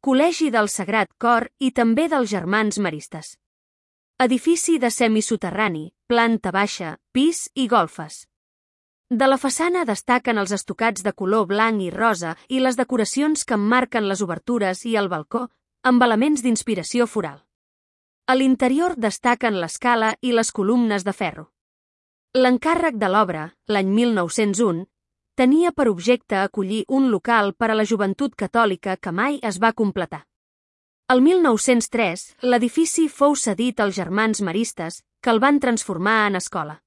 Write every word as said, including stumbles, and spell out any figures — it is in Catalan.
Col·legi del Sagrat Cor i també dels Germans Maristes. Edifici de semisoterrani, planta baixa, pis i golfes. De la façana destaquen els estucats de color blanc i rosa i les decoracions que emmarquen les obertures i el balcó, amb elements d'inspiració floral. A l'interior destaquen l'escala i les columnes de ferro. L'encàrrec de l'obra, l'any mil nou-cents u, tenia per objecte acollir un local per a la joventut catòlica que mai es va completar. El mil nou-cents tres, l'edifici fou cedit als Germans Maristes, que el van transformar en escola.